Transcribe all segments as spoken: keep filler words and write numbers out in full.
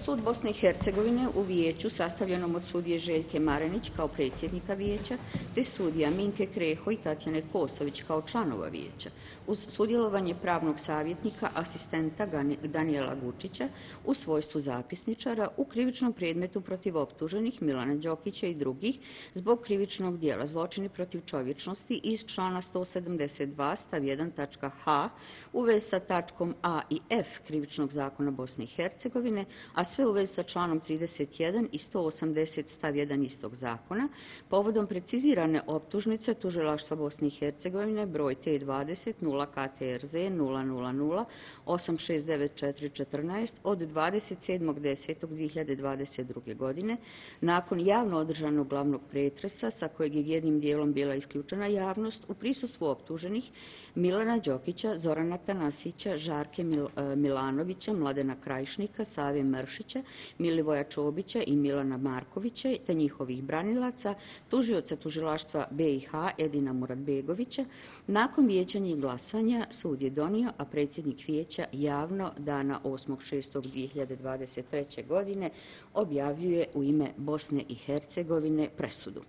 Sud Bosne i Hercegovine u vijeću sastavljenom od sudije Željke Marenić kao predsjednika vijeća, te sudija Minke Kreho i Tatjane Kosović kao članova vijeća, uz sudjelovanje pravnog savjetnika asistenta Danijela Gučića u svojstvu zapisničara u krivičnom predmetu protiv optuženih Milana Đokića i drugih zbog krivičnog dijela zločini protiv čovječnosti iz člana sto sedamdeset dva stav jedan tačka h u vezi sa tačkom a i f krivičnog zakona Bosne i Hercegovine, a sve u vezi sa članom trideset jedan i sto osamdeset stav jedan istog zakona, povodom precizirane optužnice Tužilaštva Bosne i Hercegovine broj T dvadeset nula K T R Z nula nula nula osam šest devet četiri jedan četiri od dvadeset sedmog desetog dve hiljade dvadeset druge. godine, nakon javno održanog glavnog pretresa, sa kojeg je jednim dijelom bila isključena javnost, u prisustvu optuženih Milana Đokića, Zorana Tanasića, Žarke Milanovića, Mladena Krajišnika, Save Mršića, Milivoja Čobića i Milana Markovića, te njihovih branilaca, tužioca Tužilaštva B i H Edina Muratbegovića, nakon vijećanja i glasanja sud je donio, a predsjednik vijeća javno dana osmog šestog dve hiljade dvadeset treće. godine objavljuje u ime Bosne i Hercegovine presudu.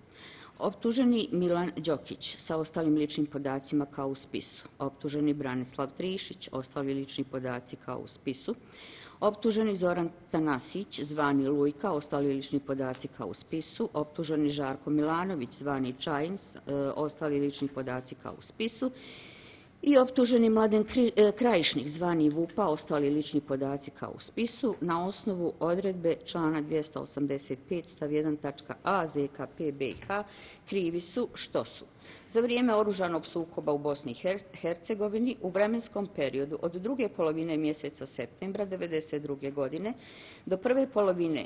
Optuženi Milan Đokić sa ostalim ličnim podacima kao u spisu. Optuženi Branislav Trišić, ostali lični podaci kao u spisu. Optuženi Zoran Tanasić, zvani Lujka, ostali lični podaci kao u spisu. Optuženi Žarko Milanović, zvani Čajin, ostali lični podaci kao u spisu. I optuženi Mladen Krajišnik, zvani Vupa, ostali lični podaci kao u spisu, na osnovu odredbe člana dvjesto osamdeset pet stav jedan tačka a Z K P B i H krivi su što su: za vrijeme oružanog sukoba u Bosni i Hercegovini u vremenskom periodu od druge polovine mjeseca septembra devedeset druge. godine do prve polovine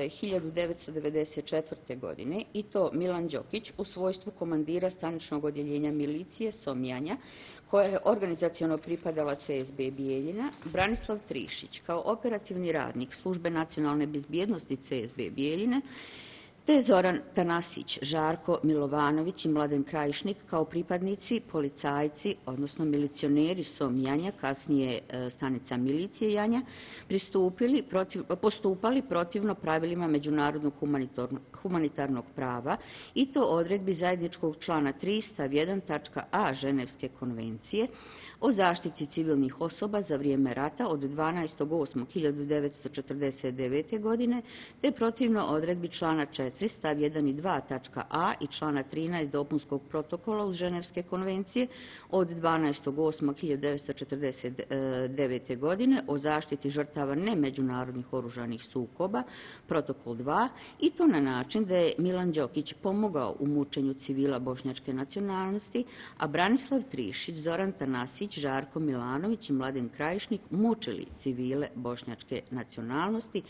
hiljadu devetsto devedeset četvrte. godine, i to Milan Đokić u svojstvu komandira staničnog odjeljenja milicije Somjanja, koja je organizaciono pripadala C S B Bijeljina, Branislav Trišić kao operativni radnik Službe nacionalne bezbjednosti C S B Bijeljine, te Zoran Tanasić, Žarko Milovanović i Mladen Krajišnik kao pripadnici, policajci, odnosno milicioneri Som Janja, kasnije stanica milicije Janja, pristupili protiv, postupali protivno pravilima međunarodnog humanitarnog prava, i to odredbi zajedničkog člana tri stav jedan tačka a Ženevske konvencije o zaštiti civilnih osoba za vrijeme rata od dvanaestog osmog hiljadu devetsto četrdeset devete. godine, te protivno odredbi člana četiri stav jedan i dva tačka a i člana trinaest dopunskog protokola uz Ženevske konvencije od dvanaestog osmog hiljadu devetsto četrdeset devete. godine o zaštiti žrtava nemeđunarodnih oružanih sukoba, protokol dva, i to na način da je Milan Đokić pomogao u mučenju civila bošnjačke nacionalnosti, a Branislav Trišić, Zoran Tanasić, Žarko Milanović i Mladen Krajišnik mučili civile bošnjačke nacionalnosti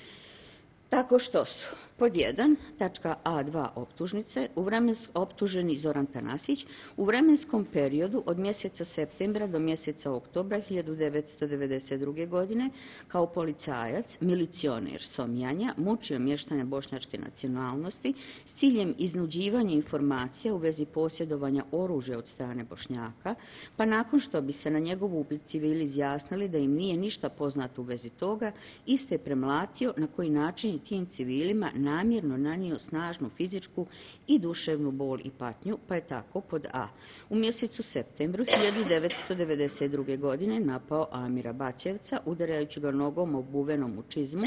tako što su: pod jedan, tačka a dva optužnice, u vremens, optuženi Zoran Tanasić u vremenskom periodu od mjeseca septembra do mjeseca oktobra hiljadu devetsto devedeset druge. godine kao policajac, milicioner Somjanja, mučio mještane bošnjačke nacionalnosti s ciljem iznuđivanja informacija u vezi posjedovanja oružja od strane Bošnjaka, pa nakon što bi se na njegov upit civili izjasnili da im nije ništa poznato u vezi toga, iste premlatio, na koji način je tim civilima namjerno nanio snažnu fizičku i duševnu bol i patnju, pa je tako pod a. u mjesecu septembru hiljadu devetsto devedeset druge. godine napao Amira Bačevca, udarajući ga nogom obuvenom u čizmu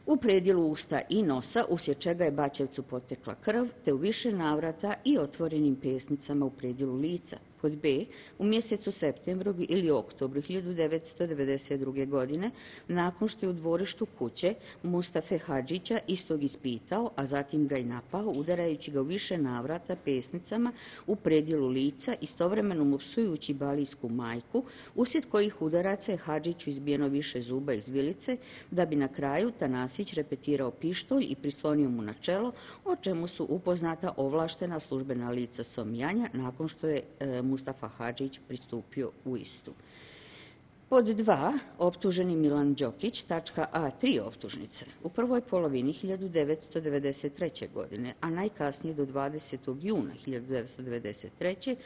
u predjelu usta i nosa, uslijed čega je Bačevcu potekla krv, te u više navrata i otvorenim pesnicama u predjelu lica. Pod b. u mjesecu septembru ili oktobru hiljadu devetsto devedeset druge. godine, nakon što je u dvorištu kuće Mustafe Hadžića istog ispitao, a zatim ga i napao, udarajući ga u više navrata pesnicama u predjelu lica, istovremeno mu psujući balijsku majku, uslijed kojih udaraca je Hadžiću izbijeno više zuba iz vilice, da bi na kraju Tanasić repetirao pištolj i prislonio mu na čelo, o čemu su upoznata ovlaštena službena lica Somjanja, nakon što je e, Mustafa Hadžić pristupio u istu. Pod dva. Optuženi Milan Đokić, tačka a tri optužnice. U prvoj polovini hiljadu devetsto devedeset treće. godine, a najkasnije do dvadesetog juna hiljadu devetsto devedeset treće.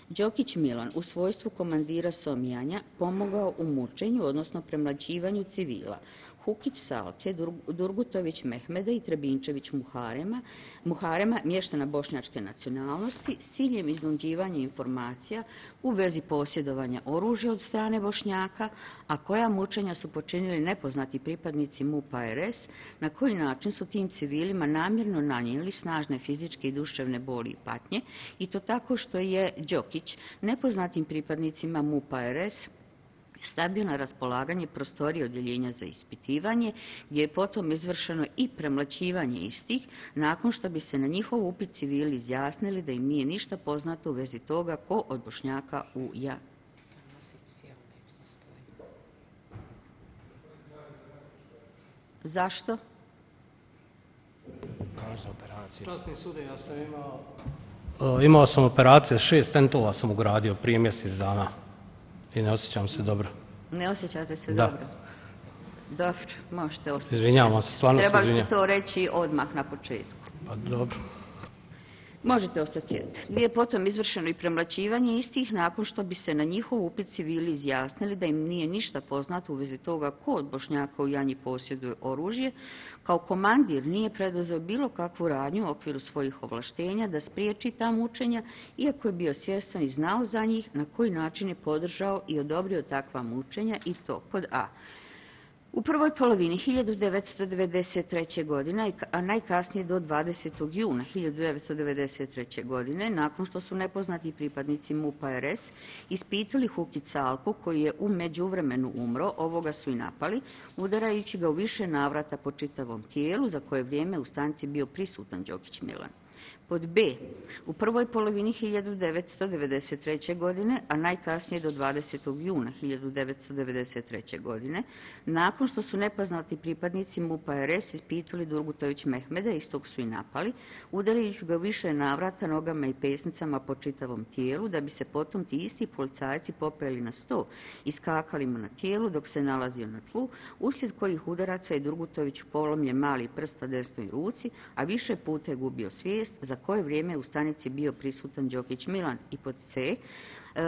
Đokić Milan u svojstvu komandira Somjanja pomogao u mučenju, odnosno premlaćivanju civila, Hukić Salke, Durgutović Mehmeda i Trebinčević Muharema, Muharema, mještana bošnjačke nacionalnosti, s ciljem iznuđivanja informacija u vezi posjedovanja oružja od strane Bošnjaka, a koja mučenja su počinili nepoznati pripadnici MUP-a R S, na koji način su tim civilima namjerno nanijeli snažne fizičke i duševne boli i patnje, i to tako što je Đokić nepoznatim pripadnicima MUP-a R S stavio na raspolaganje prostorije odjeljenja za ispitivanje, gdje je potom izvršeno i premlaćivanje istih, nakon što bi se na njihov upit civili izjasnili da im nije ništa poznato u vezi toga ko od Bošnjaka u ja. Zašto? Časni sude, ja sam imao... Imao sam operacije, šest tentova sam ugradio prije mjesec dana i ne osjećam se dobro. Ne osjećate se da. dobro? Dobro, možete ostati. Izvinjavam se, stvarno se izvinjam. Trebali ste to reći odmah na početku. Pa dobro. Možete ostati sjediti. Gdje je potom izvršeno i premlaćivanje istih nakon što bi se na njihov upit civili izjasnili da im nije ništa poznato u vezi toga ko od Bošnjaka u Janji posjeduje oružje, kao komandir nije preduzeo bilo kakvu radnju u okviru svojih ovlaštenja da spriječi ta mučenja, iako je bio svjestan i znao za njih na koji način je podržao i odobrio takva mučenja, i to pod A. U prvoj polovini hiljadu devetsto devedeset treće. godine, a najkasnije do dvadesetog juna hiljadu devetsto devedeset treće. godine, nakon što su nepoznati pripadnici MUP-a R S ispitali Hukić Salku, koji je u međuvremenu umro, ovoga su i napali, udarajući ga u više navrata po čitavom tijelu, za koje vrijeme u stanci bio prisutan Đokić Milan. Pod B. U prvoj polovini hiljadu devetsto devedeset treće. godine, a najkasnije do dvadesetog juna hiljadu devetsto devedeset treće. godine, nakon što su nepoznati pripadnici MUP-a R S ispitali Durgutović Mehmeda, istog su i napali, udarajući ga više navrata nogama i pesnicama po čitavom tijelu, da bi se potom ti isti policajci popeli na sto i skakali mu na tijelu dok se nalazio na tlu, uslijed kojih udaraca je Durgutović polomljen mali prst na desnoj ruci, a više puta je gubio svijest, za koje vrijeme u stanici bio prisutan Đokić Milan. I pod C.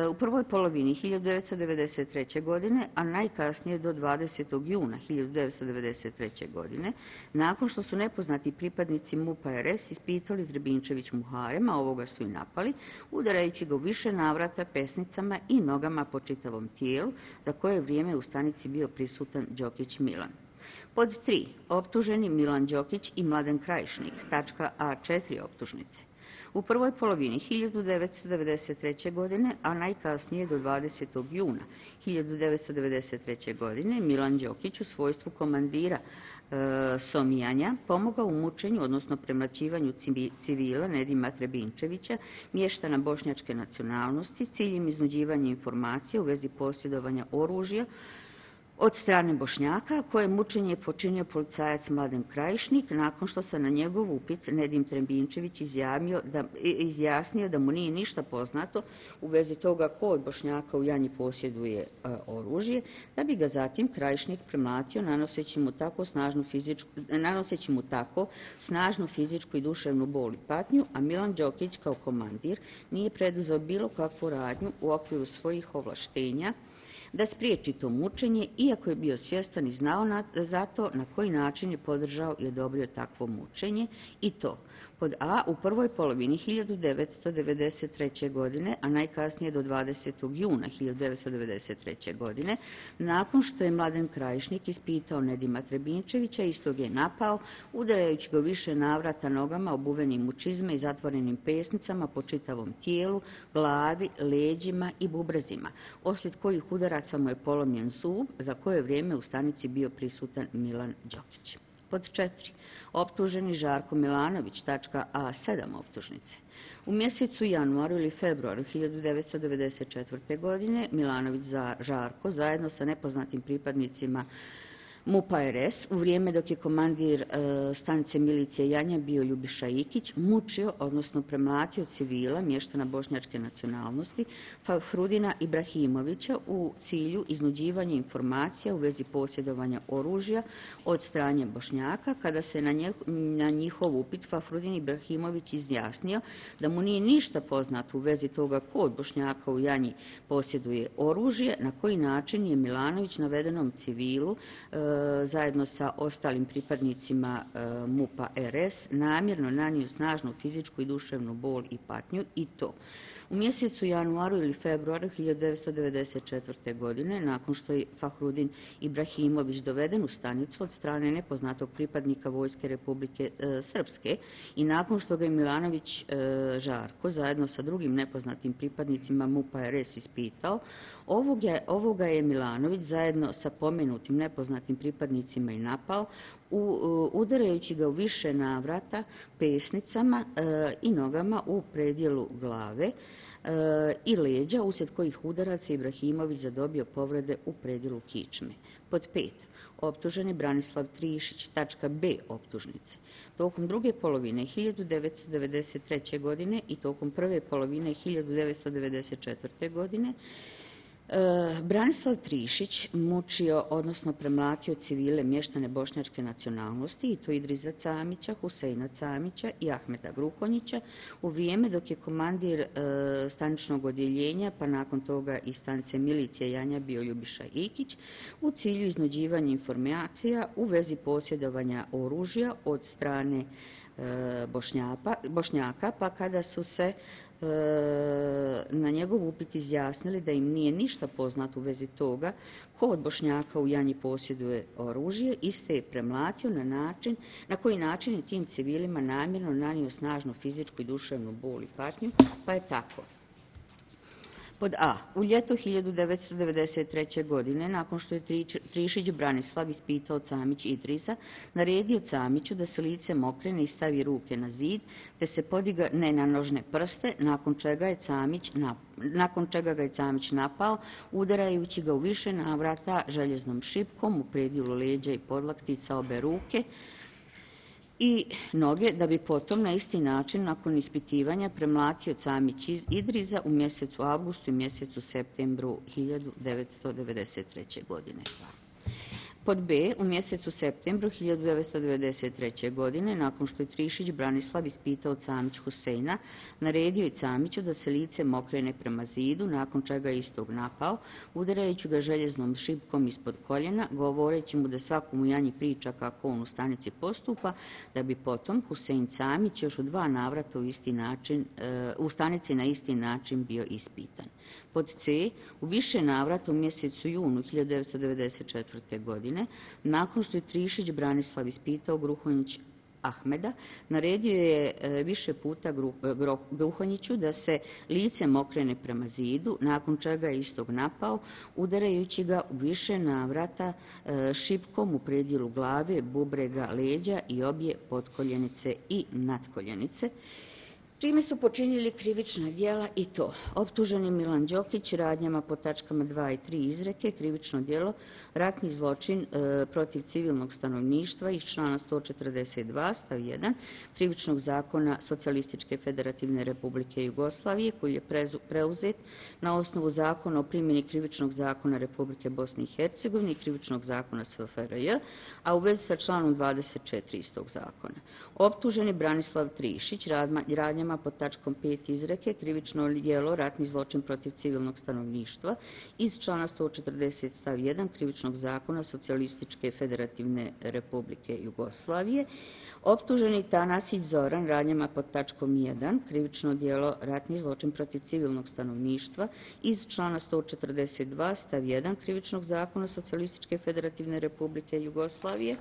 U prvoj polovini hiljadu devetsto devedeset treće. godine, a najkasnije do dvadesetog juna hiljadu devetsto devedeset treće. godine, nakon što su nepoznati pripadnici MUP-a R S ispitali Trebinčević Muharema, ovoga su i napali, udarajući ga u više navrata pesnicama i nogama po čitavom tijelu, za koje vrijeme u stanici bio prisutan Đokić Milan. Pod tri. Optuženi Milan Đokić i Mladen Krajišnik, tačka A četiri optužnice. U prvoj polovini hiljadu devetsto devedeset treće. godine, a najkasnije do dvadesetog juna hiljadu devetsto devedeset treće. godine, Milan Đokić u svojstvu komandira e, Somijanja pomogao u mučenju, odnosno premlaćivanju civila Nedima Trebinčevića, mještana bošnjačke nacionalnosti, s ciljem iznuđivanja informacija u vezi posjedovanja oružja od strane Bošnjaka, koje mučenje počinio policajac Mladen Krajišnik, nakon što se na njegov upit Nedim Trebinčević da, izjasnio da mu nije ništa poznato u vezi toga ko od Bošnjaka u Janji posjeduje a, oružje, da bi ga zatim Krajišnik premlatio nanoseći mu tako snažnu fizičku, nanoseći mu tako snažnu fizičku i duševnu bol i patnju, a Milan Đokić kao komandir nije preduzeo bilo kakvu radnju u okviru svojih ovlaštenja da spriječi to mučenje, iako je bio svjestan i znao na, za to na koji način je podržao i odobrio takvo mučenje, i to pod A. u prvoj polovini hiljadu devetsto devedeset treće. godine, a najkasnije do dvadesetog juna hiljadu devetsto devedeset treće. godine, nakon što je Mladen Krajišnik ispitao Nedima Trebinčevića, istog je napao, udarajući ga više navrata nogama obuvenim u čizme i zatvorenim pesnicama po čitavom tijelu, glavi, leđima i bubrezima, oslijed kojih udaraca mu je polomljen zub, za koje vrijeme u stanici bio prisutan Milan Đokić. Pod četiri. Optuženi Žarko Milanović, tačka A sedam optužnice. U mjesecu januaru ili februaru hiljadu devetsto devedeset četvrte. godine Milanović za Žarko zajedno sa nepoznatim pripadnicima MUP-a R S u vrijeme dok je komandir e, stanice milicije Janja bio Ljubiša Ikić mučio, odnosno premlatio civila mještana bošnjačke nacionalnosti Fahrudina Ibrahimovića u cilju iznuđivanja informacija u vezi posjedovanja oružja od strane Bošnjaka, kada se na, nje, na njihov upit Fahrudin Ibrahimović izjasnio da mu nije ništa poznato u vezi toga ko od Bošnjaka u Janji posjeduje oružje, na koji način je Milanović navedenom civilu e, zajedno sa ostalim pripadnicima MUP-a R S namjerno nanio snažnu fizičku i duševnu bol i patnju i to u mjesecu januaru ili februaru hiljadu devetsto devedeset četvrte. godine, nakon što je Fahrudin Ibrahimović doveden u stanicu od strane nepoznatog pripadnika Vojske Republike e, Srpske i nakon što ga je Milanović e, Žarko zajedno sa drugim nepoznatim pripadnicima MUP-a R S ispitao, ovoga, ovoga je Milanović zajedno sa pomenutim nepoznatim pripadnicima i napao, u, udarajući ga u više navrata pesnicama e, i nogama u predjelu glave e, i leđa, uslijed kojih udaraca Ibrahimović zadobio povrede u predjelu kičme. Pod pet. Optuženi Branislav Trišić, tačka B optužnice. Tokom druge polovine hiljadu devetsto devedeset treće. godine i tokom prve polovine hiljadu devetsto devedeset četvrte. godine Branislav Trišić mučio, odnosno premlatio civile mještane bošnjačke nacionalnosti i to Idriza Camića, Huseina Camića i Ahmeta Gruhonjića u vrijeme dok je komandir e, staničnog odjeljenja, pa nakon toga i stanice milicije Janja bio Ljubiša Ikić, u cilju iznuđivanja informacija u vezi posjedovanja oružja od strane e, Bošnjaka, Bošnjaka, pa kada su se na njegov upit izjasnili da im nije ništa poznato u vezi toga ko od Bošnjaka u Janji posjeduje oružje, iste je premlatio na način na koji način je tim civilima namjerno nanio snažnu fizičku i duševnu bol i patnju, pa je tako. Pod A. U ljeto hiljadu devetsto devedeset treće. godine, nakon što je Trišić Branislav ispitao Camić Idrisa, naredio Camiću da se lice mokrene i stavi ruke na zid, te se podigne na nožne prste, nakon čega, je Camić, nakon čega ga je Camić napao, udarajući ga u više navrata željeznom šipkom u predjelu leđa i podlaktica obe ruke i noge, da bi potom na isti način nakon ispitivanja premlatio Camić iz Idriza u mjesecu avgustu i mjesecu septembru hiljadu devetsto devedeset treće. godine. Pod B. U mjesecu septembru hiljadu devetsto devedeset treće. godine, nakon što je Trišić Branislav ispitao Camić Huseina, naredio je Camiću da se lice mokrene prema zidu, nakon čega je istog napao, udarajući ga željeznom šipkom ispod koljena, govoreći mu da svakom u Janji priča kako on u stanici postupa, da bi potom Husein Camić još u dva navrata u, isti način, u stanici na isti način bio ispitan. Pod C. U više navrata u mjesecu junu hiljadu devetsto devedeset četvrte. godine, nakon što je Trišić Branislav ispitao Gruhonjić Ahmeda, naredio je više puta Gruhonjiću da se lice mokrene prema zidu, nakon čega je istog napao, udarajući ga u više navrata šipkom u predjelu glave, bubrega, leđa i obje potkoljenice i nadkoljenice, čime su počinili krivična djela i to optuženi Milan Đokić radnjama po tačkama dva i tri izreke, krivično djelo, ratni zločin e, protiv civilnog stanovništva iz člana sto četrdeset dva stav jedan krivičnog zakona Socijalističke federativne republike Jugoslavije, koji je prezu, preuzet na osnovu zakona o primjeni krivičnog zakona Republike Bosne i Hercegovine i krivičnog zakona S F R J, a u vezi sa članom dvadeset četiri istog zakona. Optuženi Branislav Trišić radnjama pod tačkom pet izreke, krivično djelo ratni zločin protiv civilnog stanovništva iz člana sto četrdeset stav jedan krivičnog zakona Socijalističke federativne republike Jugoslavije. Optuženi Tanasić Zoran radnjama pod tačkom jedan krivično djelo ratni zločin protiv civilnog stanovništva iz člana sto četrdeset dva stav jedan krivičnog zakona Socijalističke federativne republike Jugoslavije.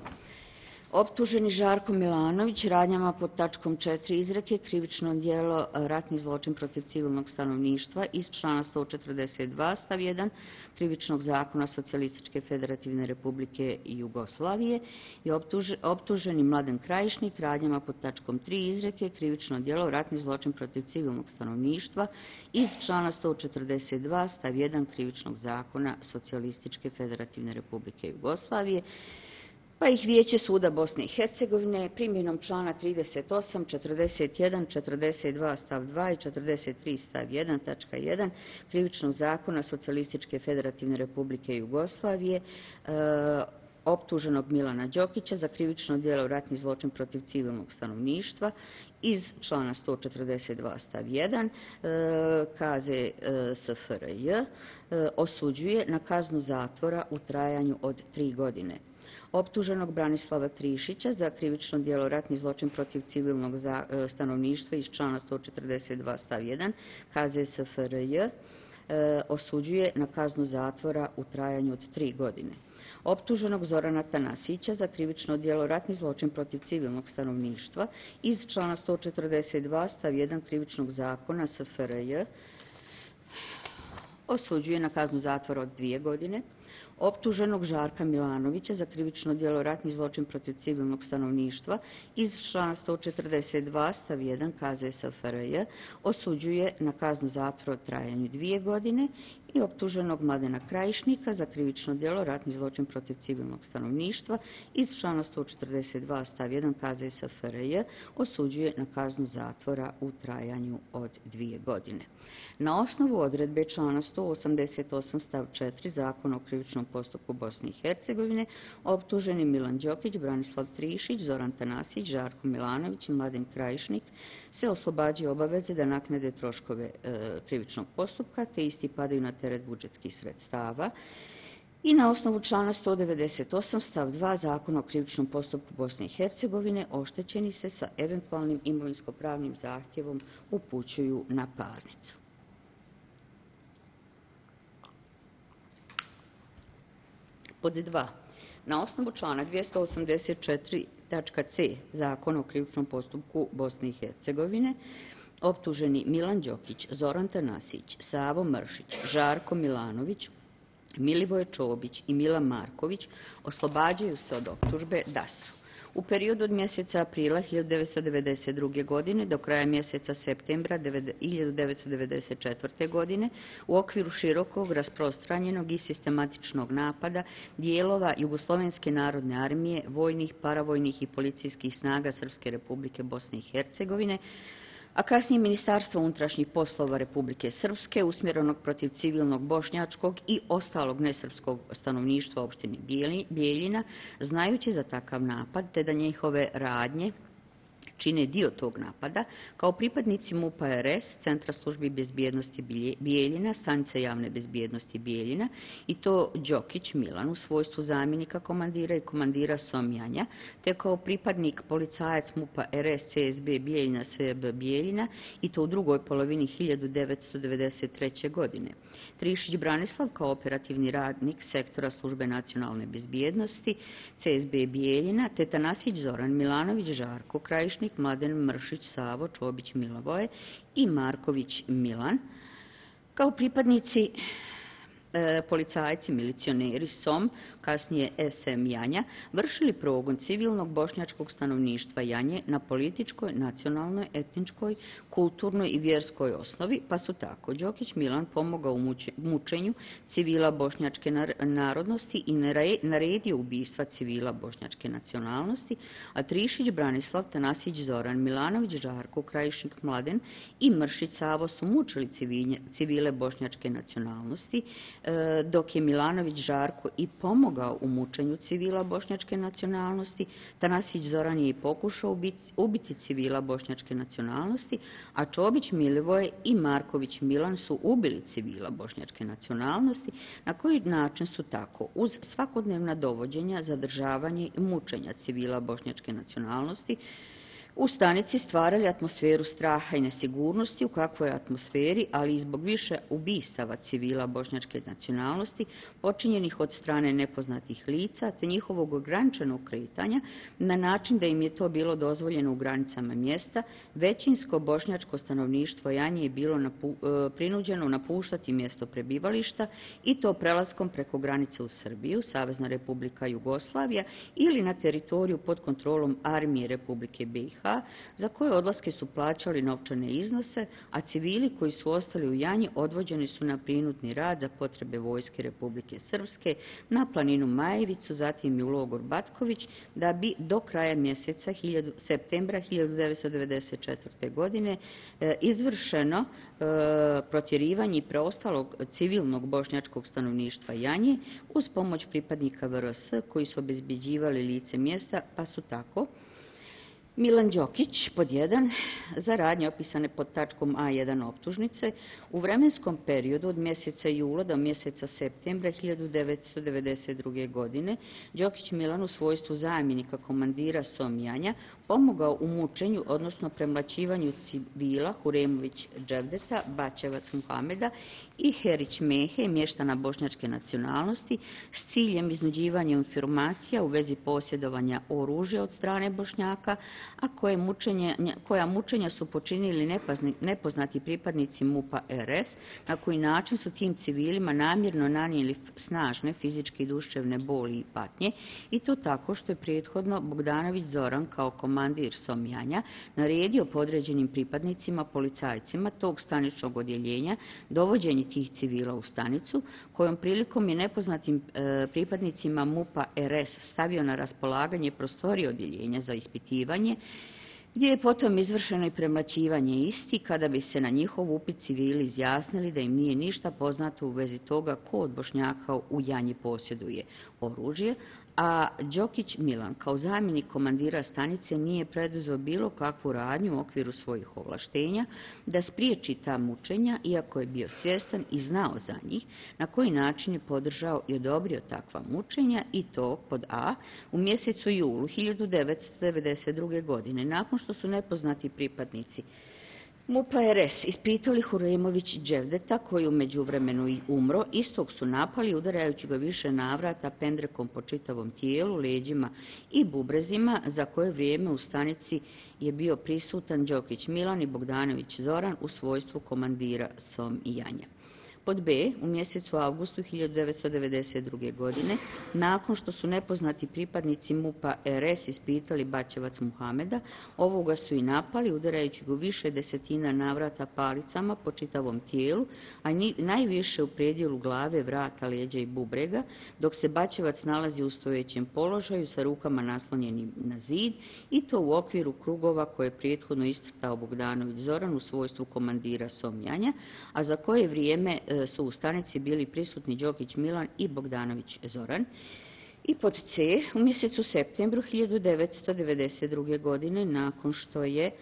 Optuženi Žarko Milanović radnjama pod tačkom četiri izreke krivično djelo ratni zločin protiv civilnog stanovništva iz člana sto četrdeset dva stav jedan krivičnog zakona Socijalističke federativne republike Jugoslavije i optuženi Mladen Krajišnik radnjama pod tačkom tri izreke krivično djelo ratni zločin protiv civilnog stanovništva iz člana sto četrdeset dva stav jedan krivičnog zakona Socijalističke federativne republike Jugoslavije, pa ih Vijeće suda Bosne i Hercegovine primjenom člana trideset osam, četrdeset jedan, četrdeset dva stav dva i četrdeset tri stav jedan tačka jedan krivičnog zakona Socijalističke federativne republike Jugoslavije e, optuženog Milana Đokića za krivično djelo ratni zločin protiv civilnog stanovništva iz člana sto četrdeset dva stav jedan K Z S F R J osuđuje na kaznu zatvora u trajanju od tri godine. optuženog Branislava Trišića za krivično djelo ratni zločin protiv civilnog stanovništva iz člana sto četrdeset dva stav jedan K Z S F R J osuđuje na kaznu zatvora u trajanju od tri godine. Optuženog Zorana Tanasića za krivično djelo ratni zločin protiv civilnog stanovništva iz člana sto četrdeset dva stav jedan Krivičnog zakona S F R J osuđuje na kaznu zatvora od dvije godine. Optuženog Žarka Milanovića za krivično djelo ratni zločin protiv civilnog stanovništva iz člana sto četrdeset dva stav jedan K Z S F R J osuđuje na kaznu zatvora u trajanju dvije godine i optuženog Mladena Krajišnika za krivično djelo ratni zločin protiv civilnog stanovništva iz člana sto četrdeset dva stav jedan K Z S F R J osuđuje na kaznu zatvora u trajanju od dvije godine. Na osnovu odredbe člana sto osamdeset osam stav četiri Zakona o krivičnom postupku Bosne i Hercegovine optuženi Milan Đokić, Branislav Trišić, Zoran Tanasić, Žarko Milanović i Mladen Krajišnik se oslobađaju obaveze da naknade troškove e, krivičnog postupka, te isti padaju na teret budžetskih sredstava. I na osnovu člana sto devedeset osam stav dva Zakona o krivičnom postupku Bosne i Hercegovine oštećeni se sa eventualnim imovinsko-pravnim zahtjevom upućuju na parnicu. Pod dva. Na osnovu člana dvjesto osamdeset četiri tačka C Zakona o krivičnom postupku Bosne i Hercegovine optuženi Milan Đokić, Zoran Tanasić, Savo Mršić, Žarko Milanović, Milivoje Čobić i Milan Marković oslobađaju se od optužbe da su u periodu od mjeseca aprila hiljadu devetsto devedeset druge. godine do kraja mjeseca septembra hiljadu devetsto devedeset četvrte. godine u okviru širokog, rasprostranjenog i sistematičnog napada dijelova Jugoslovenske narodne armije, vojnih, paravojnih i policijskih snaga Srpske Republike Bosne i Hercegovine, a kasnije Ministarstvo unutrašnjih poslova Republike Srpske usmjerenog protiv civilnog bošnjačkog i ostalog nesrpskog stanovništva opštine Bijeljina, znajući za takav napad te da njihove radnje čine dio tog napada, kao pripadnici MUP-a R S, Centra službi bezbjednosti Bijeljina, Stanice javne bezbjednosti Bijeljina, i to Đokić Milan u svojstvu zamjenika komandira i komandira Somjanja, te kao pripadnik policajac MUP-a R S C S B Bijeljina S B Bijeljina, i to u drugoj polovini hiljadu devetsto devedeset treće. godine. Trišić Branislav kao operativni radnik sektora službe nacionalne bezbjednosti C S B Bijeljina, te Tanasić Zoran Milanović, Žarko Krajišnik, Mladen Mršić, Savo, Čobić, Milivoje i Marković Milan, kao pripadnici e, policajci, milicioneri S O M, kasnije S M Janja, vršili progon civilnog bošnjačkog stanovništva Janje na političkoj, nacionalnoj, etničkoj, kulturnoj i vjerskoj osnovi, pa su tako Đokić Milan pomogao u mučenju civila bošnjačke narodnosti i naredio ubistva civila bošnjačke nacionalnosti, a Trišić Branislav, Tanasić Zoran Milanović, Žarko Krajišnik, Mladen i Mršić Savo su mučili civile bošnjačke nacionalnosti, dok je Milanović Žarko i pomogao u mučenju civila bošnjačke nacionalnosti. Tanasić Zoran je i pokušao ubiti civila bošnjačke nacionalnosti, a Čobić Milivoje i Marković Milan su ubili civila bošnjačke nacionalnosti, na koji način su tako uz svakodnevna dovođenja, zadržavanje i mučenja civila bošnjačke nacionalnosti u stanici stvarali atmosferu straha i nesigurnosti, u kakvoj atmosferi, ali i zbog više ubistava civila bošnjačke nacionalnosti, počinjenih od strane nepoznatih lica, te njihovog ograničenog kretanja, na način da im je to bilo dozvoljeno u granicama mjesta, većinsko bošnjačko stanovništvo Janje je bilo napu, prinuđeno napuštati mjesto prebivališta, i to prelaskom preko granice u Srbiju, Savezna Republika Jugoslavija, ili na teritoriju pod kontrolom armije Republike B i H, za koje odlaske su plaćali novčane iznose, a civili koji su ostali u Janji odvođeni su na prinudni rad za potrebe vojske Republike Srpske na planinu Majevicu, zatim i u logor Batković, da bi do kraja mjeseca septembra hiljadu devetsto devedeset četvrte. godine izvršeno protjerivanje i preostalog civilnog bošnjačkog stanovništva Janje uz pomoć pripadnika V R S koji su obezbeđivali lice mjesta, pa su tako Milan Đokić, pod jedan, za radnje opisane pod tačkom A jedan optužnice, u vremenskom periodu od mjeseca jula do mjeseca septembra hiljadu devetsto devedeset druge. godine Đokić Milan u svojstvu zamjenika komandira Somjanja pomogao u mučenju, odnosno premlaćivanju civila Huremović Dževdeta, Bačevac Muhameda i Herić Mehe, mještana bošnjačke nacionalnosti, s ciljem iznuđivanja informacija u vezi posjedovanja oružja od strane Bošnjaka, a koje mučenje, koja mučenja su počinili nepoznati pripadnici MUP-a R S, na koji način su tim civilima namjerno nanijeli snažne fizičke i duševne boli i patnje, i to tako što je prethodno Bogdanović Zoran kao komandir Somjanja naredio podređenim pripadnicima, policajcima tog staničnog odjeljenja dovođenje tih civila u stanicu, kojom prilikom je nepoznatim e, pripadnicima MUP-a R S stavio na raspolaganje prostorije odjeljenja za ispitivanje, gdje je potom izvršeno i premlaćivanje isti, kada bi se na njihov upit civili izjasnili da im nije ništa poznato u vezi toga ko od Bošnjaka u Janji posjeduje oružje, a Đokić Milan kao zamjenik komandira stanice nije preduzeo bilo kakvu radnju u okviru svojih ovlaštenja da spriječi ta mučenja, iako je bio svjestan i znao za njih, na koji način je podržao i odobrio takva mučenja, i to pod A u mjesecu julu hiljadu devetsto devedeset druge. godine, nakon što su nepoznati pripadnici MUP-a R S ispitali Huremović Dževdeta, koji u međuvremenu i umro, istog su napali udarajući ga više navrata pendrekom po čitavom tijelu, leđima i bubrezima, za koje vrijeme u stanici je bio prisutan Đokić Milan i Bogdanović Zoran u svojstvu komandira Somjanja. Pod B, u mjesecu avgustu hiljadu devetsto devedeset druge. godine, nakon što su nepoznati pripadnici MUP-a R S ispitali Bačevac Muhameda, ovoga su i napali, udarajući ga više desetina navrata palicama po čitavom tijelu, a nji, najviše u predjelu glave, vrata, leđa i bubrega, dok se Bačevac nalazi u stojećem položaju sa rukama naslonjenim na zid, i to u okviru krugova koje je prethodno iscrtao Bogdanović Zoran u svojstvu komandira Somjanja, a za koje vrijeme su u stanici bili prisutni Đokić Milan i Bogdanović Zoran. I pod C, u mjesecu septembru hiljadu devetsto devedeset druge. godine, nakon što je e,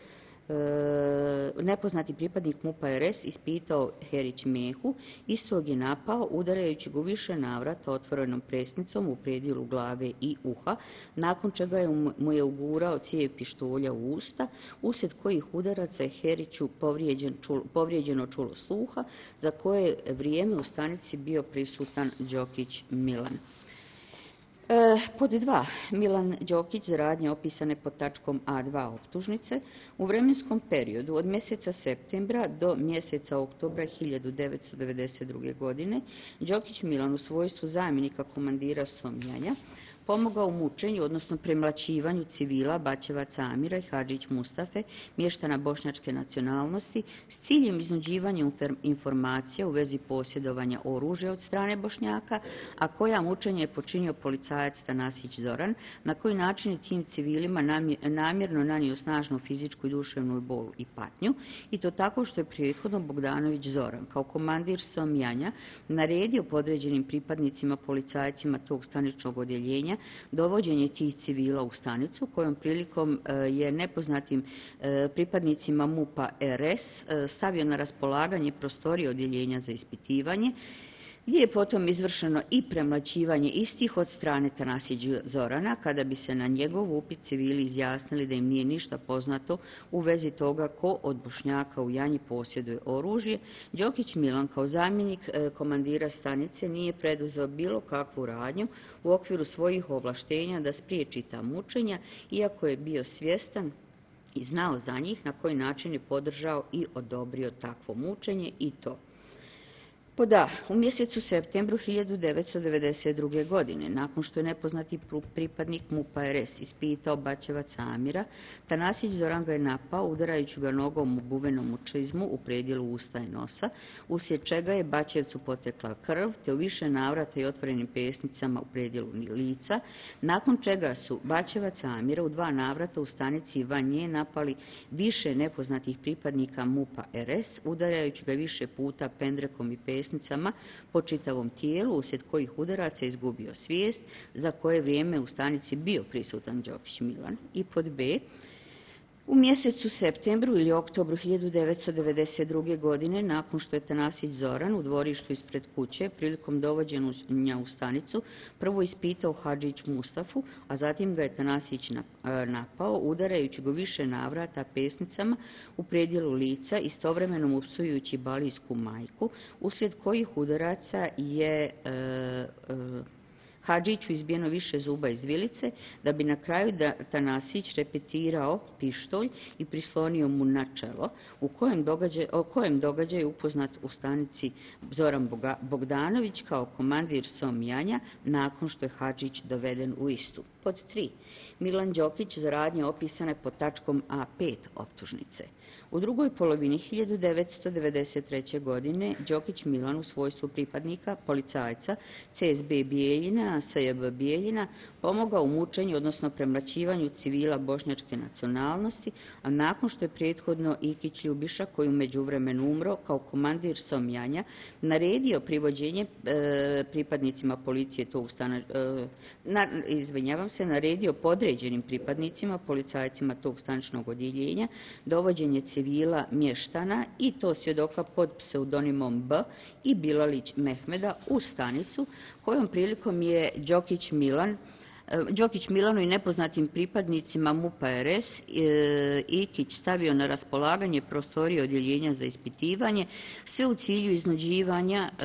nepoznati pripadnik MUP-a R S ispitao Herić Mehu, istog je napao udarajući ga više navrata otvorenom presnicom u predjelu glave i uha, nakon čega je mu je ugurao cijev pištolja u usta, uslijed kojih udaraca je Heriću povrijeđen, čul, povrijeđeno čulo sluha, za koje vrijeme u stanici bio prisutan Đokić Milan. E, pod dva, Milan Đokić za radnje opisane pod tačkom A dva optužnice, u vremenskom periodu od mjeseca septembra do mjeseca oktobra hiljadu devetsto devedeset druge. godine Đokić Milan u svojstvu zamjenika komandira Somjanja pomogao u mučenju, odnosno premlaćivanju civila Bačevaca Amira i Hadžić Mustafe, mještana bošnjačke nacionalnosti, s ciljem iznuđivanja informacija u vezi posjedovanja oružja od strane Bošnjaka, a koja mučenje je počinio policajac Tanasić Zoran, na koji način je tim civilima namjerno nanio snažnu fizičku i duševnu bolu i patnju, i to tako što je prethodno Bogdanović Zoran kao komandir Somjanja naredio podređenim pripadnicima, policajcima tog staničnog odjeljenja dovođenje tih civila u stanicu, kojom prilikom je nepoznatim pripadnicima MUP-a R S stavio na raspolaganje prostorije odjeljenja za ispitivanje, gdje je potom izvršeno i premlaćivanje istih od strane Tanasića Zorana, kada bi se na njegov upit civili izjasnili da im nije ništa poznato u vezi toga ko od Bošnjaka u Janji posjeduje oružje. Đokić Milan kao zamjenik komandira stanice nije preduzeo bilo kakvu radnju u okviru svojih ovlaštenja da spriječi ta mučenja, iako je bio svjestan i znao za njih, na koji način je podržao i odobrio takvo mučenje, i to pod A, u mjesecu septembru hiljadu devetsto devedeset druge. godine, nakon što je nepoznati pripadnik MUP-a R S ispitao Bačevaca Amira, Tanasić Zoran ga je napao udarajući ga nogom u buvenom čizmu u predjelu usta i nosa, uslijed čega je Bačevcu potekla krv, te u više navrata i otvorenim pesnicama u predjelu lica, nakon čega su Bačevaca Amira u dva navrata u stanici van nje napali više nepoznatih pripadnika MUP-a R S, udarajući ga više puta pendrekom i pesnicama po čitavom tijelu, uslijed kojih udaraca izgubio svijest, za koje vrijeme u stanici bio prisutan Đokić Milan. I pod B, U mjesecu septembru ili oktobru hiljadu devetsto devedeset druge. godine, nakon što je Tanasić Zoran u dvorištu ispred kuće prilikom dovođenja u stanicu prvo ispitao Hadžić Mustafu, a zatim ga je Tanasić napao, udarajući go više navrata pesnicama u predjelu lica, istovremeno mu psujući balijsku majku, uslijed kojih udaraca je e, e, Hadžiću izbijeno više zuba iz vilice, da bi na kraju Tanasić repetirao pištolj i prislonio mu na čelo, u kojem događaju, o kojem događaju upoznat u stanici Zoran Bogdanović kao komandir Somjanja nakon što je Hadžić doveden u istu. Pod tri. Milan Đokić za radnje opisane pod tačkom A pet optužnice. U drugoj polovini hiljadu devetsto devedeset treće. godine Đokić Milan u svojstvu pripadnika policajca C S B Bijeljina, S J B Bijeljina, pomogao u mučenju, odnosno premlaćivanju civila bošnjačke nacionalnosti, a nakon što je prethodno Ikić Ljubiša, koji u međuvremenu umro kao komandir Somjanja, naredio privođenje e, pripadnicima policije tog stana, e, na, izvinjavam se, naredio podređenim pripadnicima, policajcima tog staničnog odjeljenja, dovođenje civila mještana i to svjedoka pod pseudonimom B i Bilalić Mehmeda u stanicu, kojom prilikom je Đokić Milan Đokić Milanu i nepoznatim pripadnicima MUP-a R S Ikić stavio na raspolaganje prostorije odjeljenja za ispitivanje, sve u cilju iznuđivanja e,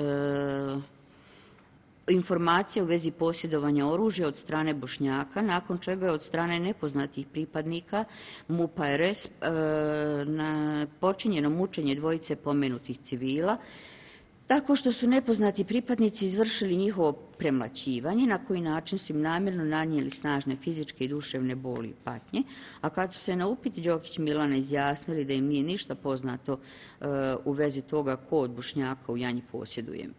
informacija u vezi posjedovanja oružja od strane Bošnjaka, nakon čega je od strane nepoznatih pripadnika MUP-a R S e, na počinjeno mučenje dvojice pomenutih civila, tako što su nepoznati pripadnici izvršili njihovo premlaćivanje, na koji način su im namjerno nanijeli snažne fizičke i duševne boli i patnje, a kad su se na upit Đokić Milana izjasnili da im nije ništa poznato e, u vezi toga ko od Bošnjaka u Janji posjeduje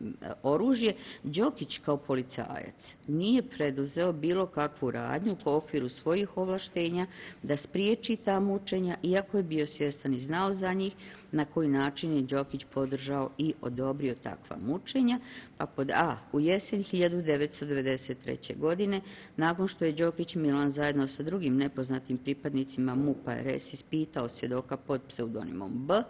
oružje, Đokić kao policajac nije preduzeo bilo kakvu radnju u okviru svojih ovlaštenja da spriječi ta mučenja, iako je bio svjestan i znao za njih, na koji način je Đokić podržao i odobrio takva mučenja. Pa pod A. U jesen hiljadu devetsto devedeset treće. godine, nakon što je Đokić Milan zajedno sa drugim nepoznatim pripadnicima MUP-a R S ispitao svjedoka pod pseudonimom B,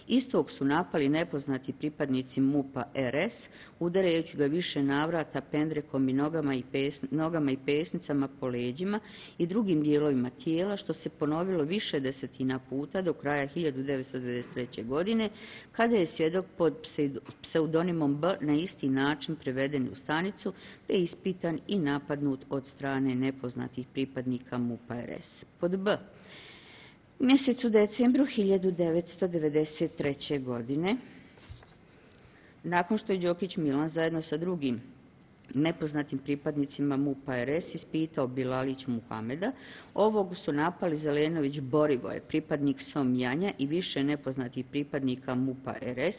istog su napali nepoznati pripadnici MUP-a R S, udarajući ga više navrata pendrekom i nogama i, pes, nogama i pesnicama po leđima i drugim dijelovima tijela, što se ponovilo više desetina puta do kraja hiljadu devetsto devedeset treće. godine, kada je svjedok pod pseudonimom B na isti način preveden u stanicu, te je ispitan i napadnut od strane nepoznatih pripadnika MUP-a R S. Pod B. U mjesecu decembru hiljadu devetsto devedeset treće. godine, nakon što je Đokić Milan zajedno sa drugim nepoznatim pripadnicima MUP-a R S ispitao Bilalić Muhameda, ovog su napali Zelenović Borivoje, pripadnik Somjanja i više nepoznatih pripadnika MUP-a R S,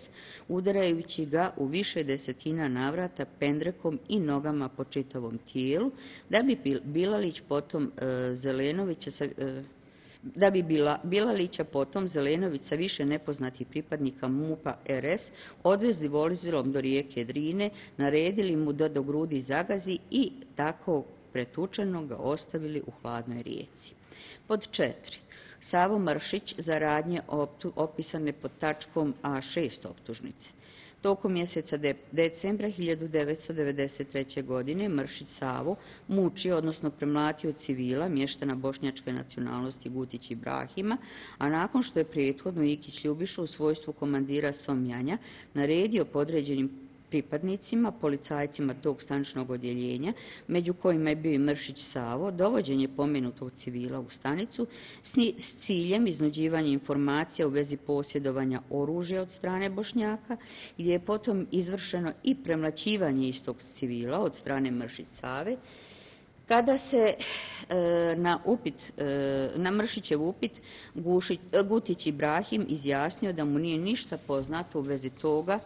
udarajući ga u više desetina navrata pendrekom i nogama po čitavom tijelu, da bi Bilalić potom e, Zelenovića sa, e, da bi bila, Bilalića potom Zelenović sa više nepoznatih pripadnika MUP-a R S odvezli vozilom do rijeke Drine, naredili mu da do grudi zagazi i tako pretučeno ga ostavili u hladnoj rijeci. Pod četiri. Savo Mršić za radnje opisane pod tačkom A šest optužnice. Tokom mjeseca de, decembra hiljadu devetsto devedeset treće. godine Mršić Savo mučio, odnosno premlatio civila mještana bošnjačke nacionalnosti Gutić Ibrahima, a nakon što je prethodno Ikić Ljubiša u svojstvu komandira Somjanja naredio podređenim pripadnicima, policajcima tog staničnog odjeljenja, među kojima je bio i Mršić Savo, dovođenje pomenutog civila u stanicu s ciljem iznuđivanja informacija u vezi posjedovanja oružja od strane Bošnjaka, gdje je potom izvršeno i premlaćivanje istog civila od strane Mršić Save, kada se e, na, upit, e, na Mršićev upit Gušić, Gutić Ibrahim izjasnio da mu nije ništa poznato u vezi toga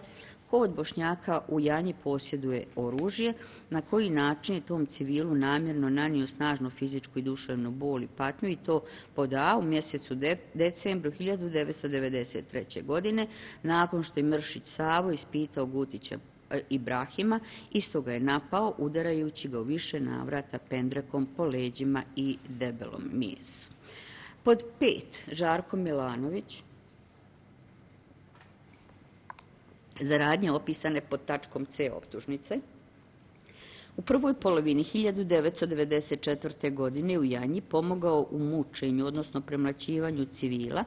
ko od Bošnjaka u Janji posjeduje oružje, na koji način je tom civilu namjerno nanio snažnu fizičku i duševnu bol i patnju, i to pod A u mjesecu de, decembru hiljadu devetsto devedeset treće. godine, nakon što je Mršić Savo ispitao Gutića Ibrahima, isto ga je napao, udarajući ga u više navrata pendrekom po leđima i debelom mijesu. Pod pet, Žarko Milanović, za radnje opisane pod tačkom C optužnice. U prvoj polovini hiljadu devetsto devedeset četvrte. godine u Janji pomogao u mučenju, odnosno premlaćivanju civila,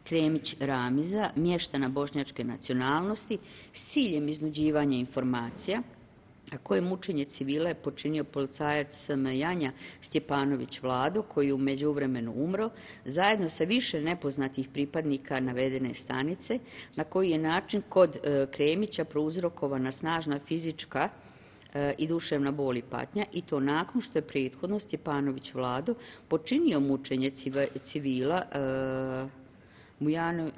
Kremić Ramiza, mještana bošnjačke nacionalnosti, s ciljem iznuđivanja informacija, a koje mučenje civila je počinio policajac S M Janja Stjepanović Vlado, koji je u međuvremenu umro, zajedno sa više nepoznatih pripadnika navedene stanice, na koji je način kod Kremića prouzrokovana snažna fizička i duševna bol i patnja, i to nakon što je prethodno Stjepanović Vlado počinio mučenje civila Mujano,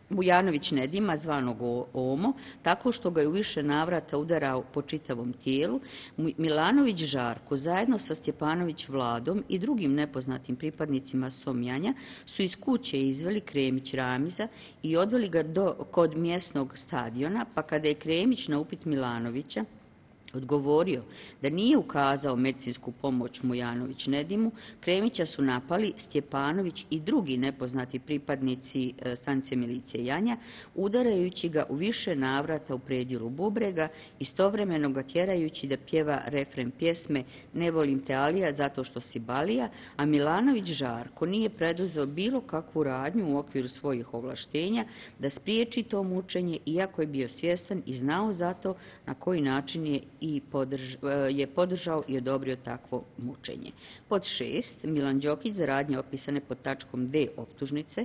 Mujanović Nedima, zvanog Omo, tako što ga je u više navrata udarao po čitavom tijelu. Milanović Žarko, zajedno sa Stjepanović Vladom i drugim nepoznatim pripadnicima Somjanja, su iz kuće izveli Kremić Ramiza i odveli ga do, kod mjesnog stadiona, pa kada je Kremić na upit Milanovića odgovorio da nije ukazao medicinsku pomoć Mujanović Nedimu, Kremića su napali Stjepanović i drugi nepoznati pripadnici stanice milicije Janja, udarajući ga u više navrata u predjelu bubrega, istovremeno ga tjerajući da pjeva refren pjesme Ne volim te Alija zato što si Balija, a Milanović Žarko nije preduzeo bilo kakvu radnju u okviru svojih ovlaštenja da spriječi to mučenje, iako je bio svjestan i znao zato na koji način je i podrž, je podržao i odobrio takvo mučenje. Pod šest, Milan Đokić za radnje opisane pod tačkom D optužnice.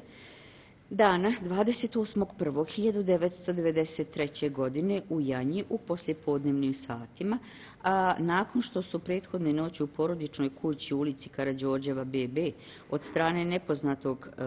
Dana dvadeset osmog prvog hiljadu devetsto devedeset treće. godine u Janji u poslijepodnevnim satima, a nakon što su prethodne noći u porodičnoj kući u ulici Karađorđeva B B od strane nepoznatog e,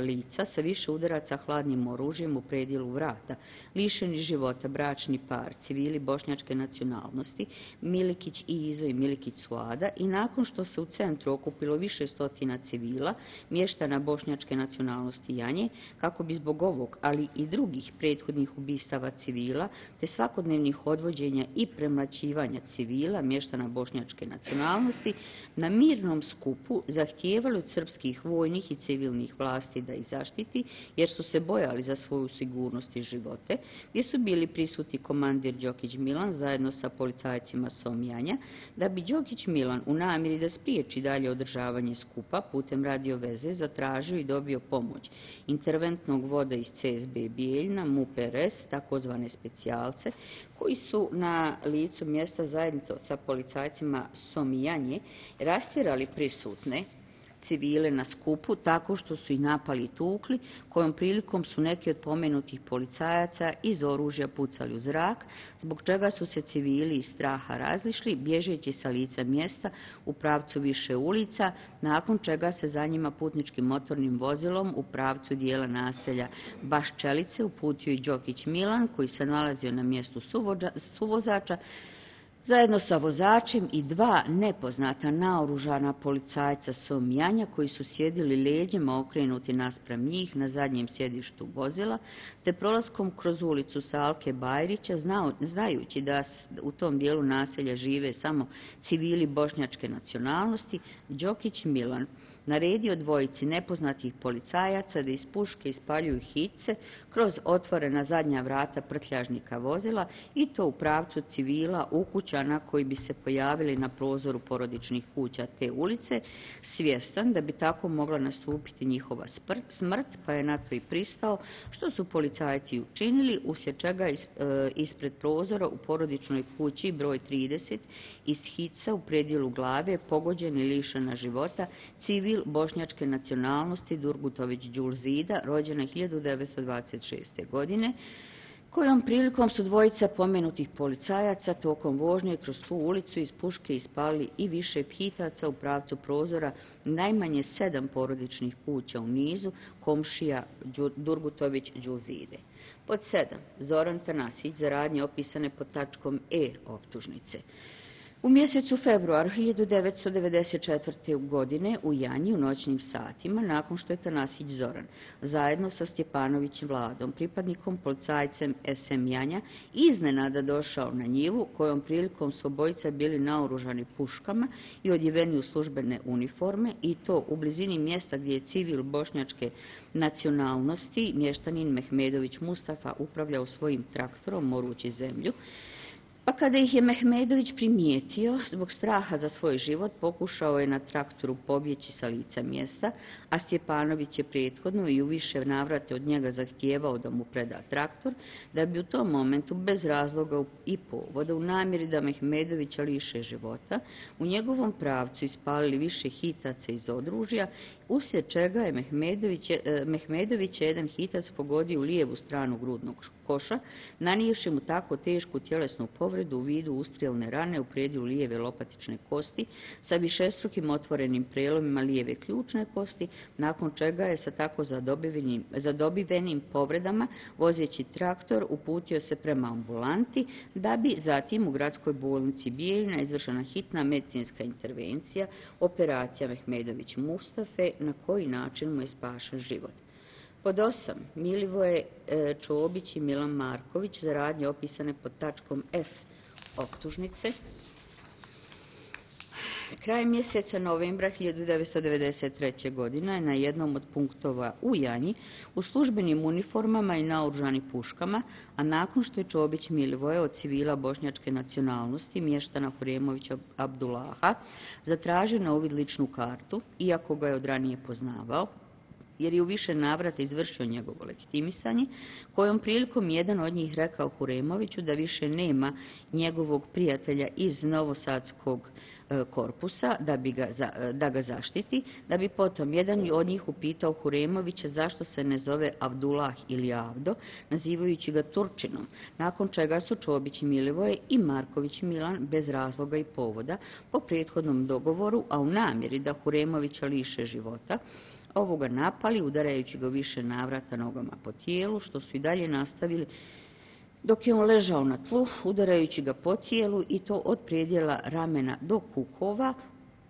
lica sa više udaraca hladnim oružjem u predjelu vrata, lišeni života bračni par, civili bošnjačke nacionalnosti, Milikić i Izo i Milikić Suada, i nakon što se u centru okupilo više stotina civila, mještana bošnjačke nacionalnosti Janje, kako bi zbog ovog, ali i drugih prethodnih ubistava civila, te svakodnevnih odvođenja i premlaćivanja civila, mještana bošnjačke nacionalnosti, na mirnom skupu zahtijevali od srpskih vojnih i civilnih vlasti da ih zaštiti, jer su se bojali za svoju sigurnost i živote, gdje su bili prisutni komandir Đokić Milan zajedno sa policajcima Somjanja, da bi Đokić Milan u namjeri da spriječi dalje održavanje skupa putem radio veze zatražio i dobio pomoć interventnog voda iz C S B Bijeljna, M U P R S, takozvane specijalce, koji su na licu mjesta zajedno sa policajcima Somijanje rastjerali prisutne civile na skupu tako što su ih napali i tukli, kojom prilikom su neki od pomenutih policajaca iz oružja pucali u zrak, zbog čega su se civili iz straha razišli, bježeći sa lica mjesta u pravcu više ulica, nakon čega se za njima putničkim motornim vozilom u pravcu dijela naselja Baščelice uputio i Đokić Milan, koji se nalazio na mjestu suvozača, zajedno sa vozačem i dva nepoznata naoružana policajca Somjanja koji su sjedili leđima okrenuti naspram njih na zadnjem sjedištu vozila, te prolaskom kroz ulicu Salke Bajrića, znao, znajući da u tom dijelu naselja žive samo civili bošnjačke nacionalnosti, Đokić Milan naredio dvojici nepoznatih policajaca da iz puške ispaljuju hice kroz otvorena zadnja vrata prtljažnika vozila, i to u pravcu civila ukućana koji bi se pojavili na prozoru porodičnih kuća te ulice, svjestan da bi tako mogla nastupiti njihova smrt, pa je na to i pristao, što su policajci učinili, uslijed čega ispred prozora u porodičnoj kući broj trideset iz hica u predjelu glave pogođen i lišena života civil bošnjačke nacionalnosti Durgutović Đulzida, rođena hiljadu devetsto dvadeset šeste. godine, kojom prilikom su dvojica pomenutih policajaca tokom vožnje kroz tu ulicu iz puške ispali i više hitaca u pravcu prozora najmanje sedam porodičnih kuća u nizu komšija Durgutović Đulzide. Pod sedam. Zoran Tanasić za radnje opisane pod tačkom E optužnice. U mjesecu februaru hiljadu devetsto devedeset četvrte. godine u Janji u noćnim satima, nakon što je Tanasić Zoran zajedno sa Stjepanovićem Vladom, pripadnikom policajcem es em Janja, iznenada došao na njivu, kojom prilikom su obojica bili naoružani puškama i odjeveni u službene uniforme, i to u blizini mjesta gdje je civil bošnjačke nacionalnosti, mještanin Mehmedović Mustafa, upravljao svojim traktorom morući zemlju. Pa kada ih je Mehmedović primijetio, zbog straha za svoj život pokušao je na traktoru pobjeći sa lica mjesta, a Stjepanović je prethodno i u više navrate od njega zahtijevao da mu preda traktor, da bi u tom momentu bez razloga i povoda, u namjeri da Mehmedovića liše života, u njegovom pravcu ispalili više hitaca iz oružja, uslijed čega je Mehmedović, Mehmedović jedan hitac pogodio u lijevu stranu grudnog koša, nanijevši mu tako tešku tjelesnu povredu u vidu ustrijelne rane u predjelu lijeve lopatične kosti sa višestrukim otvorenim prelomima lijeve ključne kosti, nakon čega je sa tako zadobivenim, zadobivenim povredama vozeći traktor uputio se prema ambulanti, da bi zatim u gradskoj bolnici Bijeljina izvršena hitna medicinska intervencija, operacija Mehmedović Mustafe, na koji način mu je spašen život. Pod osam. Milivoje Čobić i Milan Marković za radnje opisane pod tačkom F optužnice. Krajem mjeseca novembra hiljadu devetsto devedeset treće. godine na jednom od punktova u Janji u službenim uniformama i naoružani puškama, a nakon što je Čobić Milivoje od civila bošnjačke nacionalnosti, mještana Huremovića Abdullaha, zatražio na uvid ličnu kartu, iako ga je od ranije poznavao, jer je u više navrata izvršio njegovo legitimisanje, kojom prilikom jedan od njih rekao Huremoviću da više nema njegovog prijatelja iz novosadskog korpusa da, bi ga, da ga zaštiti, da bi potom jedan od njih upitao Huremovića zašto se ne zove Abdullah ili Avdo, nazivajući ga Turčinom, nakon čega su Čobić Milivoje i Marković Milan bez razloga i povoda po prethodnom dogovoru, a u namjeri da Huremovića liše života, ovoga napali, udarajući ga više navrata nogama po tijelu, što su i dalje nastavili dok je on ležao na tlu, udarajući ga po tijelu, i to od predjela ramena do kukova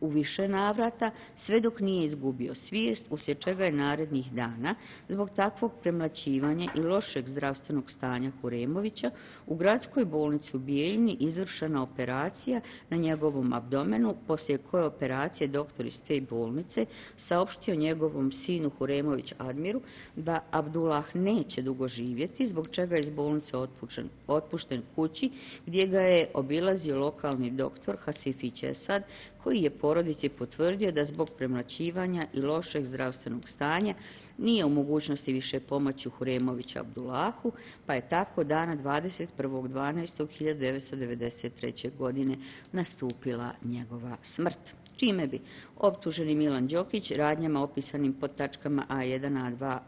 u više navrata, sve dok nije izgubio svijest, uslijed čega je narednih dana, zbog takvog premlaćivanja i lošeg zdravstvenog stanja Huremovića, u gradskoj bolnici u Bijeljini izvršena operacija na njegovom abdomenu, poslije koje operacije doktor iz te bolnice saopštio njegovom sinu Huremović Admiru da Abdullah neće dugo živjeti, zbog čega je iz bolnice otpušten, otpušten kući, gdje ga je obilazio lokalni doktor Hasifić Esad, koji je porodici potvrdio da zbog premlaćivanja i lošeg zdravstvenog stanja nije u mogućnosti više pomoći Huremovića Abdullahu, pa je tako dana dvadeset prvog dvanaestog hiljadu devetsto devedeset treće. godine nastupila njegova smrt, čime bi optuženi Milan Đokić radnjama opisanim pod tačkama A jedan, A dva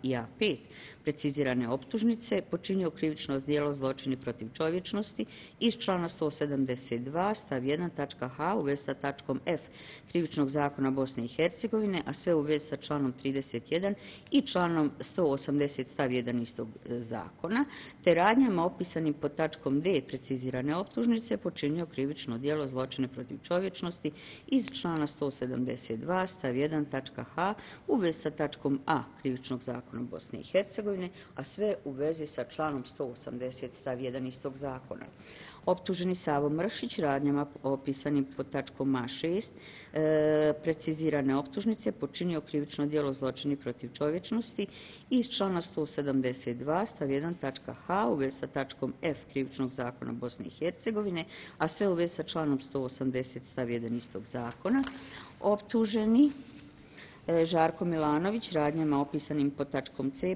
i A pet precizirane optužnice počinio krivično djelo zločini protiv čovječnosti iz člana sto sedamdeset dva stav jedan tačka H u vezi sa tačkom F krivičnog zakona Bosne i Hercegovine, a sve u vezi sa članom trideset jedan i članom sto osamdeset stav jedan istog zakona, te radnjama opisanim pod tačkom D precizirane optužnice počinio krivično djelo zločine protiv čovječnosti iz člana sto sedamdeset dva stav jedan tačka H u vezi sa tačkom A krivičnog zakona Bosne i Hercegovine, a sve u vezi sa članom sto osamdeset stav jedan istog zakona. Optuženi Savo Mršić radnjama opisanim pod tačkom A šest e, precizirane optužnice počinio krivično djelo zločini protiv čovječnosti iz člana sto sedamdeset dva stav jedan tačka H u vezi sa tačkom F krivičnog zakona Bosne i Hercegovine, a sve u vezi sa članom sto osamdeset stav jedan istog zakona. Optuženi Žarko Milanović radnjama opisanim pod tačkom C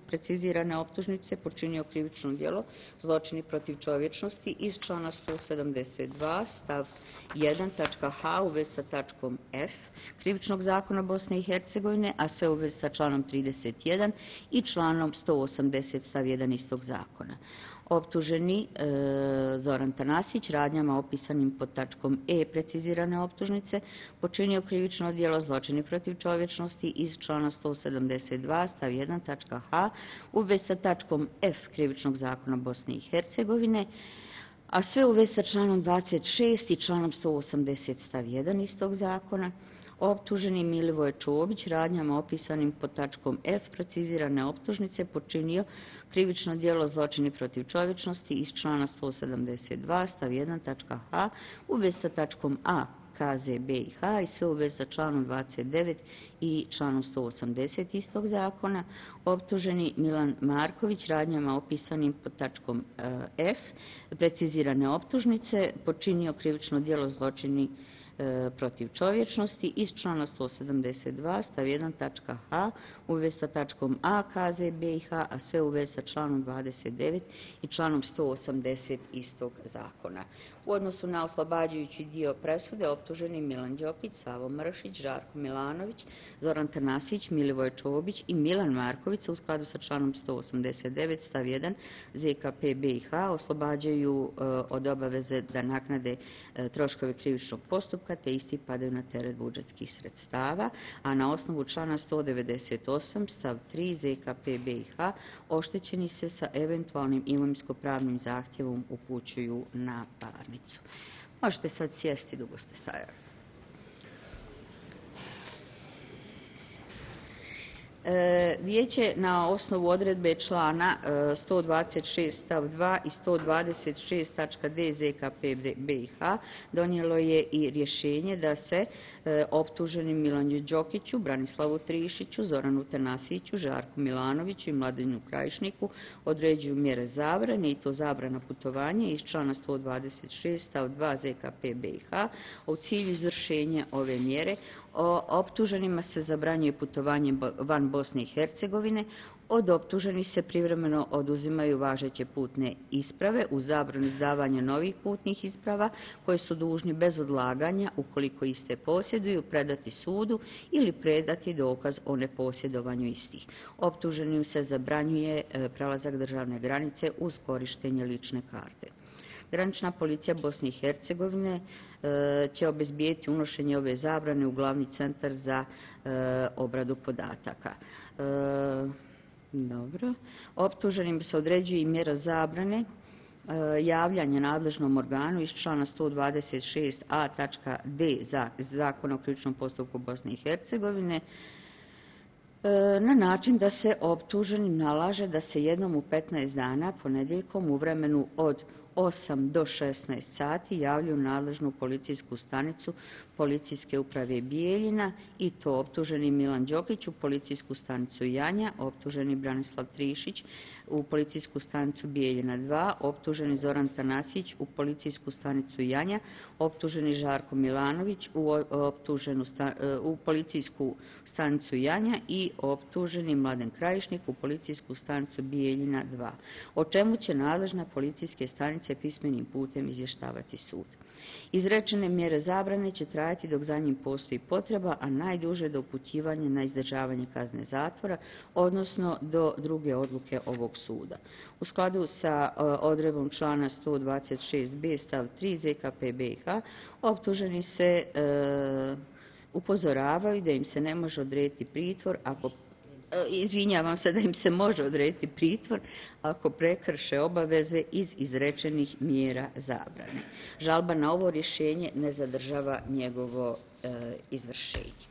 precizirane optužnice počinio krivično djelo zločini protiv čovječnosti iz člana sto sedamdeset dva stav jedan tačka H u vezi sa tačkom F krivičnog zakona Bosne i Hercegovine, a sve u vezi sa članom trideset jedan i članom sto osamdeset stav jedan istog zakona. Optuženi e, Zoran Tanasić radnjama opisanim pod tačkom E precizirane optužnice počinio krivično djelo zločini protiv čovječnosti iz člana sto sedamdeset dva stav jedan tačka H u vezi sa tačkom F krivičnog zakona Bosne i Hercegovine, a sve u vezi sa članom dvadeset šest i članom sto osamdeset stav jedan istog zakona. Optuženi Milivoje Čobić radnjama opisanim pod tačkom F precizirane optužnice počinio krivično djelo zločini protiv čovječnosti iz člana sto sedamdeset dva stav jedan tačka H u vezi sa tačkom A K Z B i H i sve u vezi sa članom dvadeset devet i članom sto osamdeset istog zakona. Optuženi Milan Marković radnjama opisanim pod tačkom F precizirane optužnice počinio krivično djelo zločini protiv čovječnosti iz člana sto sedamdeset dva stav jedan tačka H u vezi sa tačkom A K Z B i H, a sve u vezi sa članom dvadeset devet i članom sto osamdeset istog zakona. U odnosu na oslobađajući dio presude optuženi Milan Đokić, Savo Mršić, Žarko Milanović, Zoran Tanasić, Milivoje Čobić i Milan Marković u skladu sa članom sto osamdeset devet stav jedan Z K P B i H oslobađaju od obaveze da naknade troškove krivičnog postupka te isti padaju na teret budžetskih sredstava, a na osnovu člana sto devedeset osam stav tri Z K P B i H oštećeni se sa eventualnim imovinsko-pravnim zahtjevom upućuju na parnicu. Možete sad sjesti, dugo ste stajali. Vijeće na osnovu odredbe člana sto dvadeset šest stav dva i sto dvadeset šest tačka D Z K P B i H donijelo je i rješenje da se optuženim Milanu Đokiću, Branislavu Trišiću, Zoranu Tanasiću, Žarku Milanoviću i Mladenu Krajišniku određuju mjere zabrane i to zabrana putovanja iz člana sto dvadeset šest stav dva Z K P B i H. U cilju izvršenja ove mjere optuženima se zabranjuje putovanje van Bosne i Hercegovine, od optuženih se privremeno oduzimaju važeće putne isprave uz zabranu izdavanja novih putnih isprava koje su dužni bez odlaganja, ukoliko iste posjeduju, predati sudu ili predati dokaz o neposjedovanju istih. Optuženim se zabranjuje prelazak državne granice uz korištenje lične karte. Granična policija Bosne i Hercegovine će obezbijeti unošenje ove zabrane u glavni centar za obradu podataka. Dobro. Optuženim se određuje i mjera zabrane javljanja nadležnom organu iz člana sto dvadeset šest a tačka D Zakona o krivičnom postupku Bosne i Hercegovine na način da se optuženim nalaže da se jednom u petnaest dana ponedjeljkom u vremenu od osam do šesnaest sati javljaju nadležnu policijsku stanicu Policijske uprave Bijeljina i to optuženi Milan Đokić u Policijsku stanicu Janja, optuženi Branislav Trišić u Policijsku stanicu Bijeljina dva, optuženi Zoran Tanasić u Policijsku stanicu Janja, optuženi Žarko Milanović u, optuženu sta, u Policijsku stanicu Janja i optuženi Mladen Krajišnik u Policijsku stanicu Bijeljina dva, o čemu će nadležna policijske stanice pismenim putem izvještavati sud. Izrečene mjere zabrane će trajati dok za njim postoji potreba, a najduže do upućivanja na izdržavanje kazne zatvora, odnosno do druge odluke ovog suda. U skladu sa odredbom člana sto dvadeset šest b stav tri Z K P B i H optuženi se e, upozoravaju da im se ne može odrediti pritvor ako Izvinjavam se da im se može odrediti pritvor ako prekrše obaveze iz izrečenih mjera zabrane. Žalba na ovo rješenje ne zadržava njegovo e, izvršenje.